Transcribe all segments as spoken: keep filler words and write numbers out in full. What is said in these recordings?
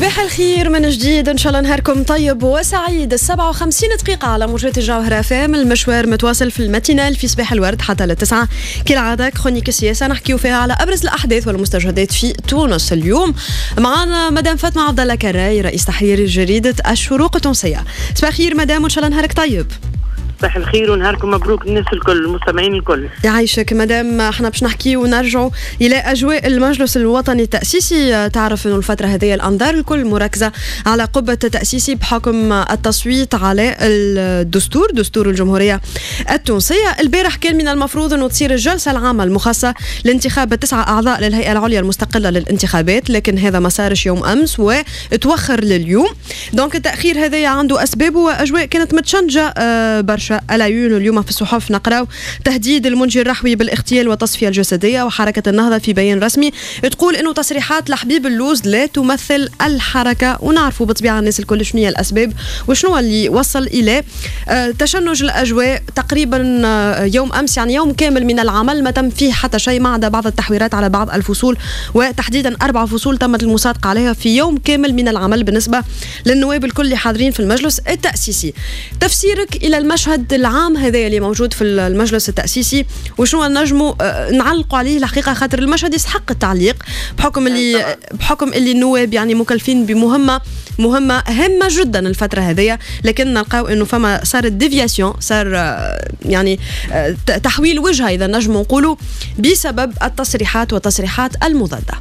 صباح الخير من جديد، ان شاء الله نهاركم طيب وسعيد. سبعة وخمسين دقيقة على موجات الجوهرة اف ام، المشوار متواصل في ال matinale في صباح الورد حتى للتسعة كالعادة. chronique السياسة نحكيو فيها على أبرز الأحداث والمستجدات في تونس. اليوم معنا مدام فاطمة عبد الله كراي، رئيس تحرير جريدة الشروق التونسية. صباح الخير مدام، وان شاء الله نهارك طيب. صباح الخير ونهاركم مبروك الناس الكل، المستمعين الكل. يعيشك مدام. احنا باش نحكي ونرجعوا الى اجواء المجلس الوطني التاسيسي. تعرف انه الفترة هذه الانظار الكل مركزه على قبه التاسيسي بحكم التصويت على الدستور، دستور الجمهورية التونسية. البارح كان من المفروض انه تصير الجلسة العامة المخصصة لانتخاب تسعة اعضاء للهيئة العليا المستقلة للانتخابات، لكن هذا ما صارش يوم امس وتوخر لليوم. donc التاخير هذا عنده اسبابه واجواء كانت متشنجه برشا. العيون اليوم في الصحف نقراو تهديد المنجي الرحوي بالاغتيال والتصفية الجسدية، وحركة النهضة في بيان رسمي تقول انه تصريحات لحبيب اللوز لا تمثل الحركة. ونعرفوا بالطبيعة الناس الكل شنو هي الأسباب وشنو اللي وصل إلى تشنج الأجواء تقريبا يوم أمس، يعني يوم كامل من العمل ما تم فيه حتى شيء ما عدا بعض التحويرات على بعض الفصول، وتحديدا أربع فصول تمت المصادقة عليها في يوم كامل من العمل بالنسبة للنواب الكل اللي حاضرين في المجلس التأسيسي. تفسيرك إلى المشهد العام هذا اللي موجود في المجلس التأسيسي وشنو نجموا نعلقوا عليه الحقيقة، خاطر المشهد يستحق التعليق بحكم اللي بحكم اللي النواب يعني مكلفين بمهمة مهمة هامة جدا الفترة هذية، لكن نلقاو انه فما صارت déviation، صار يعني تحويل وجهة اذا نجموا نقولوا بسبب التصريحات والتصريحات المضادة.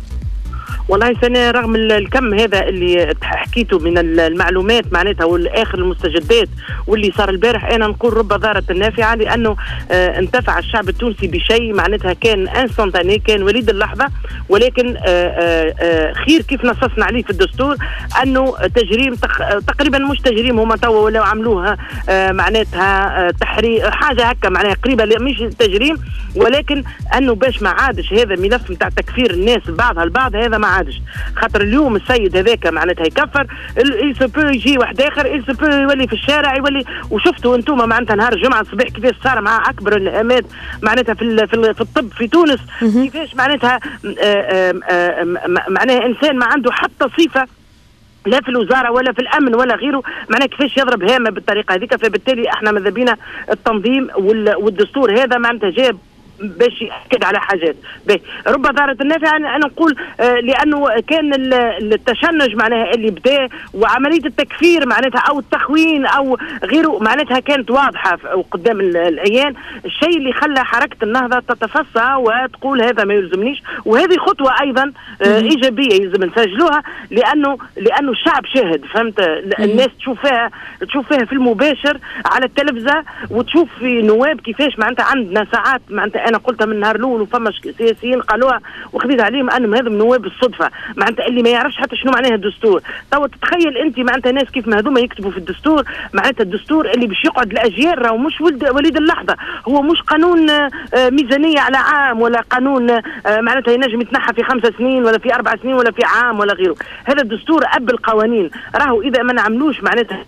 والله سنة رغم الكم هذا اللي حكيته من المعلومات معناتها والاخر المستجدات واللي صار البارح، انا نقول رب ضارة النافعة، لانه اه انتفع الشعب التونسي بشيء معناتها كان instantané، كان وليد اللحظة، ولكن اه اه خير كيف نصصنا عليه في الدستور انه تجريم تقريبا مش تجريم، هما توا ولاو عملوها اه معناتها تحرير حاجة هكا معناها قريبه مش تجريم، ولكن انه باش ما عادش هذا ملف نتاع تكفير الناس بعضها البعض، هذا ما عادش. خاطر اليوم السيد هذاك معناتها يكفر، il se peut يجي واحد اخر، il se peut يولي في الشارع يولي. وشفتوا انتم معناتها نهار الجمعة الصباح كيفاش صار مع اكبر الهامات معناتها في في الطب في تونس، كيفاش معناتها معناها انسان ما عنده حتى صفة لا في الوزارة ولا في الامن ولا غيره، معناها كيفاش يضرب هامة بالطريقة هذيك. فبالتالي احنا ماذا بينا التنظيم والدستور هذا معناتها جاب باش يأكد على حاجات. باهي رب ضارة النافعة، أنا نقول آه لأنه كان التشنج معناها اللي بدا وعملية التكفير معناتها أو التخوين أو غيره معناتها كانت واضحة قدام العيان، الشيء اللي خلى حركة النهضة تتفصى وتقول هذا ما يلزمنيش. وهذه خطوة أيضا آه إيجابية يلزم نسجلوها، لأنه لأنه الشعب شاهد، فهمت؟ الناس تشوف فيها تشوف فيها في المباشر على التلفزة، وتشوف في نواب كيفاش معناتها عندنا ساعات معناتها أنا قلتها من النهار الأول وفما سياسيين قالوها وخذيت عليهم أنهم هذم نواب الصدفة، معناتها اللي ما يعرفش حتى شنو معناها الدستور. توا تتخيل أنت معناتها ناس كيف ما هذوما يكتبوا في الدستور، معناتها الدستور اللي باش يقعد الأجيال راهو مش ولد وليد اللحظة، هو مش قانون ميزانية على عام ولا قانون معناتها ينجم يتنحى في خمسة سنين ولا في أربع سنين ولا في عام ولا غيره. هذا الدستور أب القوانين، راهو إذا ما نعملوش معناتها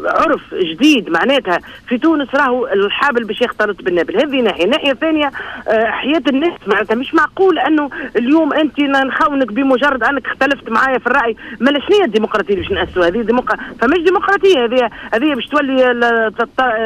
عرف جديد معناتها في تونس راهو الحابل باش يختلط بالنابل. هذه ناحية. الناحية الثانية حياة الناس معناتها مش معقول انه اليوم انت نخونك بمجرد انك اختلفت معايا في الراي. ما شنو هي الديمقراطية اللي باش ناسسوها؟ هذه ديمقرا... فمش ديمقراطية هذه، هذه باش تولي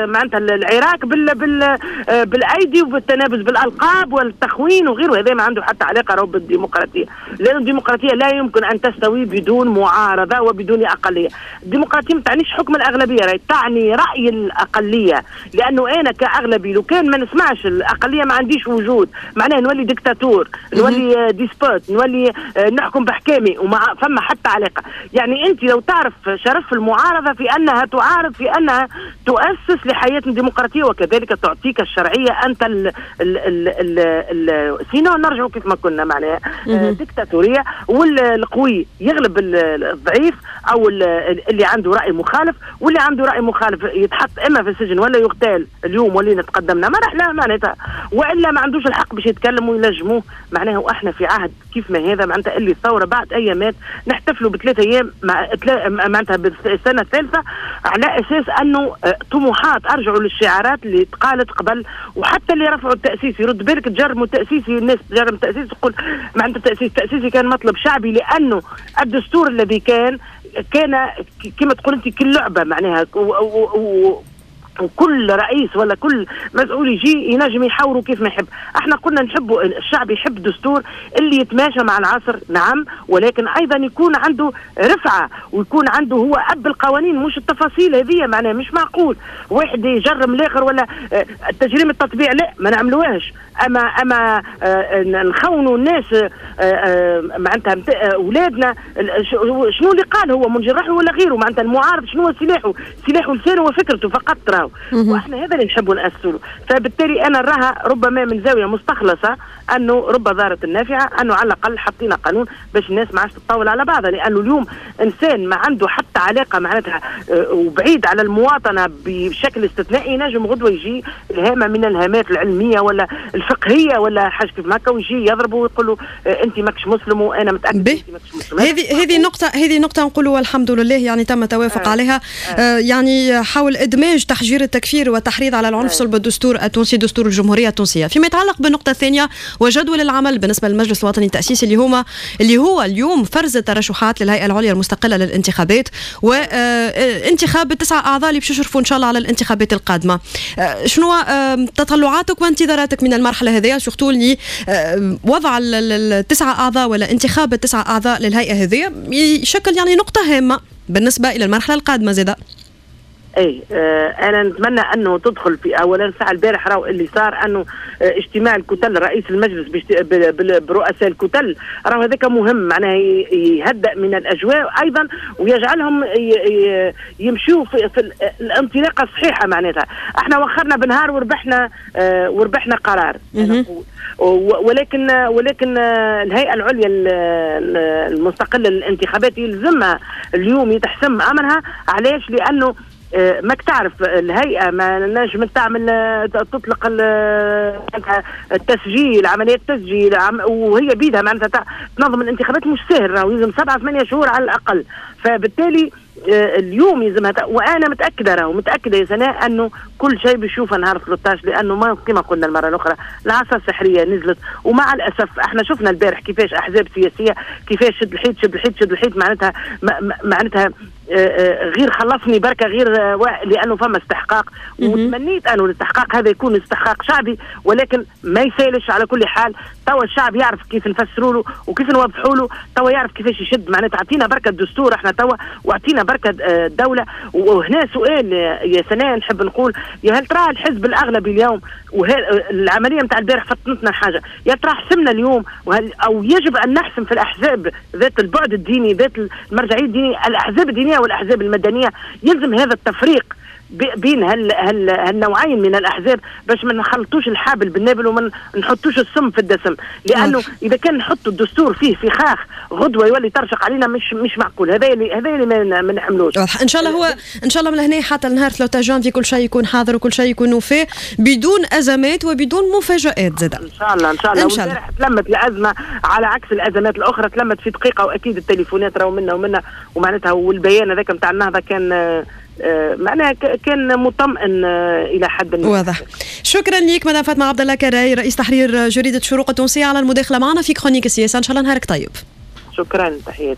معناتها العراك بال... بال... بالايدي وبالتنابز بالالقاب والتخوين وغيره. هذا ما عنده حتى علاقة راهو بالديمقراطية، لان الديمقراطية لا يمكن ان تستوي بدون معارضة وبدون اقلية. الديمقراطية ما تعنيش حكم الاغلبية، راهي تعني راي الاقلية، لانه انا كاغلبي لو كان ما نسمعش الاقلية ما عنديش وجود، معناها نولي ديكتاتور، نولي despote، نولي نحكم بحكامي وما فما حتى علاقة. يعني انت لو تعرف شرف المعارضة في انها تعارض، في انها تؤسس لحياه ديمقراطية وكذلك تعطيك الشرعية انت ال ال ال ال ال sinon نرجعوا كيف ما كنا معناها ديكتاتوريه، والقوي يغلب الضعيف او اللي عنده راي مخالف، واللي عنده راي مخالف يتحط اما في السجن ولا يغتال. اليوم ولينا تقدمنا مرحلة معناتها، والا ما عندوش الحق باش يتكلم ويلجموه معناها. واحنا في عهد كيف ما هذا معناتها اللي الثورة بعد ايامات نحتفلوا بثلاث ايام مع معناتها بالسنة الثالثة، على اساس انه طموحات ارجعوا للشعارات اللي تقالت قبل، وحتى اللي رفعوا التاسيسي رد بالك تجرموا التاسيسي، الناس تجرم التاسيسي تقول معناتها التاسيس التاسيسي كان مطلب شعبي، لانه الدستور الذي كان كان كما تقول انت كل لعبه معناها، و و وكل رئيس ولا كل مسؤول يجي ينجم يحاوروا كيف ما يحب. احنا قلنا نحبوا الشعب يحب دستور اللي يتماشى مع العصر، نعم، ولكن ايضا يكون عنده رفعه ويكون عنده هو اب القوانين، مش التفاصيل هذه معناها. مش معقول واحد يجرم الاخر ولا تجريم التطبيع، لا ما نعملوهاش، اما اما نخونوا الناس معناتها اولادنا. شنو اللي قال هو منجي الرحوي ولا غيره معناتها المعارض شنو سلاحه؟ سلاحه لسانه وفكرته فقط راهو، واحنا هذا اللي نحبوا نأسسوا له. فبالتالي انا نراها ربما من زاوية مستخلصه انه رب ضارة النافعة، انه على الاقل حطينا قانون باش الناس ما عادش تطاول على بعضها، لانه اليوم انسان ما عنده حتى علاقة معناتها وبعيد على المواطنة بشكل استثنائي، نجم غدوه يجي الهامة من الهامات العلمية ولا الفقهية ولا حاجة كيف هكا ويجي يضربه ويقول له انت ماكش مسلم وانا متاكد انت ماكش مسلم. هذه هذه نقطة، هذه نقطة نقولوا والحمد لله يعني تم التوافق آه. عليها آه. آه يعني حول ادماج تحجير التكفير والتحريض على العنف صلب الدستور التونسي، دستور الجمهورية التونسية. فيما يتعلق بالنقطة الثانية وجدول العمل بالنسبة للمجلس الوطني التاسيسي اللي هما اللي هو اليوم فرز الترشحات للهيئة العليا المستقلة للانتخابات وانتخاب التسعة اعضاء اللي باش يشرفوا ان شاء الله على الانتخابات القادمة. شنو تطلعاتك وانتظاراتك من المرحلة هذه، surtout اللي وضع التسعة اعضاء ولا انتخاب التسعة اعضاء للهيئة هذه يشكل يعني نقطة هامة بالنسبة الى المرحلة القادمة زاده؟ اي آه انا نتمنى انه تدخل في اولا ساعة البارح راهو اللي صار انه آه اجتماع الكتل رئيس المجلس برؤساء الكتل راهو هذاك مهم، معناها يهدأ من الاجواء ايضا ويجعلهم يمشوا في, في الانطلاقة الصحيحة. معناتها احنا وخرنا بنهار وربحنا آه وربحنا قرار، ولكن ولكن الهيئة العليا المستقلة للانتخابات يلزمها اليوم يتحسم امرها. علاش؟ لانه ماك تعرف الهيئة ما نجم تعمل تطلق التسجيل، عملية التسجيل، وهي بيدها معناتها تنظم الانتخابات مش سهل، راهو يلزم سبعة ثمانية شهور على الاقل. فبالتالي اليوم يلزمها، وانا متاكدة راهو متاكدة يا سناء انه كل شيء بيشوفه نهار ثلاثة عشر، لانه ما كما قلنا المرة الاخرى العصا السحريه نزلت، ومع الاسف احنا شفنا البارح كيفاش احزاب سياسية كيفاش شد الحيط شد الحيط شد الحيط، معناتها معناتها غير خلصني بركة غير، لانه فما استحقاق، وتمنيت انه الاستحقاق هذا يكون استحقاق شعبي، ولكن ما يسالش. على كل حال توا الشعب يعرف كيف نفسروا له وكيف نوضحوا له، توا يعرف كيفاش يشد معناتها. اعطينا بركة الدستور احنا توا، واعطينا بركة الدولة. وهنا سؤال يا سناء نحب نقول، يا هل ترى الحزب الاغلبي اليوم العملية نتاع البارح فطنتنا حاجة، يا ترى حسمنا اليوم وهل او يجب ان نحسم في الاحزاب ذات البعد الديني ذات المرجعية الدينية، الاحزاب الدينية والاحزاب المدنية، يلزم هذا التفريق بين هال هال هالنوعين من الاحزاب باش ما نخلطوش الحابل بالنابل وما نحطوش السم في الدسم، لانه اذا كان نحطوا الدستور فيه فخاخ غدوه يولي ترشق علينا، مش مش معقول. هذا اللي هذا اللي ما نحملوش. ان شاء الله هو ان شاء الله من هنا حتى النهار ثلاثة جانفي كل شيء يكون حاضر وكل شيء يكون وفاه بدون ازمات وبدون مفاجات زاد. ان شاء الله ان شاء الله. ان شاء الله تلمت الازمة على عكس الازمات الاخرى، تلمت في دقيقة، واكيد التليفونات راهو منا ومنا ومعناتها، والبيان هذاك نتاع النهضة كان معناها كان مطمئن الى حد ما. واضح. شكرا لك مدام فاطمة عبد الله كراي، رئيس تحرير جريدة شروق التونسية، على المداخلة معنا في chronique السياسة. ان شاء الله نهارك طيب. شكرا، تحياتي.